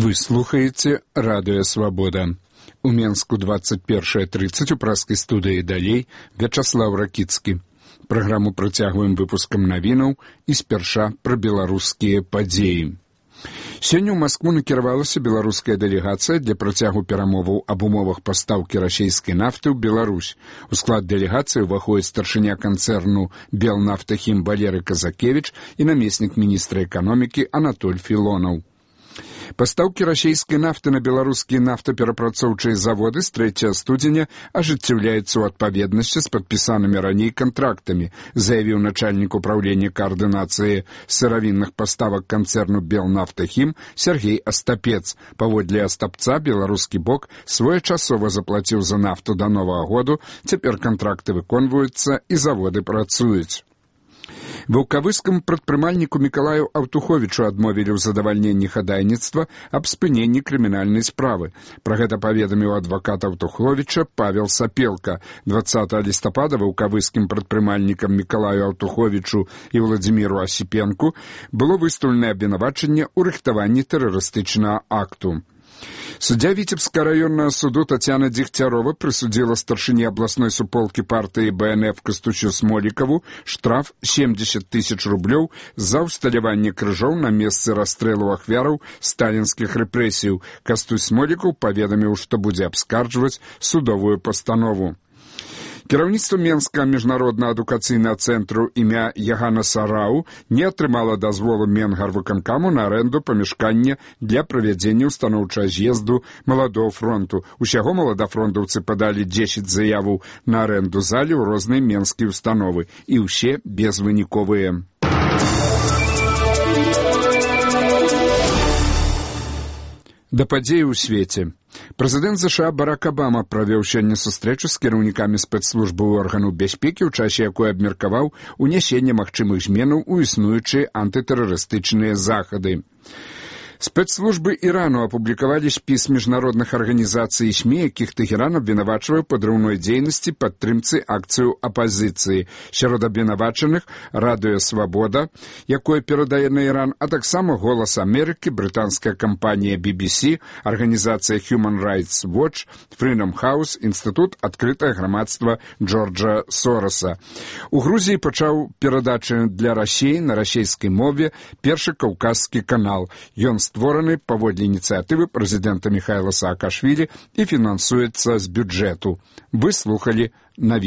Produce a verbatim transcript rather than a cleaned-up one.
Вы слухаеце радыё «Свабода». У Менску двадцать першая тридцать у праскай студыі далей Вячаслав Ракіцкі. Праграму працягваем выпускам навінаў і спярша пра беларускія падзеі. Сёння ў Маскву накіравалася беларуская дэлегацыя для працягу перамоваў аб умовах пастаўкі расейскай нафты ў Беларусь. У склад дэлегацыі ўваходзіць старшыня канцэрну «Белнафтахім» Валерый Казакевіч і намеснік міністра эканомікі Анатоль Філонаў. Пастаўкі расейскай нафты на беларускія нафтаперапрацоўчыя заводы з трэцяга студзеня ажыццяўляюцца ў адпаведнасці з падпісанымі раней кантрактамі, заявіў начальнік управлення каардынацыі сыравінных паставак канцэрну «Белнафтахім» Сергей Астапец. Паводле Астапца, беларускі бок своечасова заплаціў за нафту да новага году, цяпер кантракты выконваюцца і заводы працуюць. Ваўкавыскаму прадпрымальніку Мікалаю Аўтуховічу адмовілі ў задавальненні хадайніцтва аб спыненні крымінальнай справы. Пра гэта паведаміў адвакат Аўтуховіча Павел Сапелка. двадцатага лістапада ваўкавыскім прадпрымальнікам Мікалаю Аўтуховічу і Владзіміру Асіпенку было выстаўленае абвінавачанне ў рыхтаванні тэрарыстычнага акту. Суддзя Віцебскага раённага суду Тацяна Дзегцярова прысудзіла старшыні абласной суполкі партыі Бэ Эн Эф Кастучу Смолікаву штраф семьдесят тысяч рублёў за ўсталяванне крыжоў на месцы расстрэлу ахвяраў сталінскіх рэпрэсіяў. Кастусь Смолікаў паведаміў, што будзе абскарджваць судовую пастанову. Кіраўніцтва Менскага міжнароднага адукацыйнага цэнтру імя Ягана Сарау не атрымала дазволу Менгарвыканкаму на арэнду памяшкання для правядзення ўстаноўчага з'езду маладога фронту. Усяго маладафронтаўцы падалі дзесяць заяваў на арэнду залі ў розныя менскія ўстановы, і ўсе безвыніковыя. Да падзеі ў свеце. Прэзідэнт ЗША Барак Абама правёў сёння сустрэчу з кіраўнікамі спецслужбы органаў бяспекі, у часе якой абмеркаваў унясенне магчымых зменаў у існуючыя антытэрарыстычныя захады. Спецслужбы Ірану апублікавалі спіс міжнародных арганізацый і СМІ, якіх Тэхеран абвінавачвае падрыўной дзейнасці падтрымцы акцыю апазіцыі. Сярод абвінавачаных радыё «Свабода», якое перадае на Іран, а таксама «Голас Амерыкі», брытанская кампанія Би Би Си, арганізацыя Human Rights Watch, Freedom House, інстытут адкрытае грамадства Джорджа Сороса. У Грузіі пачаў перадачы для Расіі на расійскай мове першы каўказскі канал. Ён створаны паводле ініцыятывы прэзідэнта Міхаіла Саакашвілі і фінансуецца з бюджэту. Вы слухалі навіны.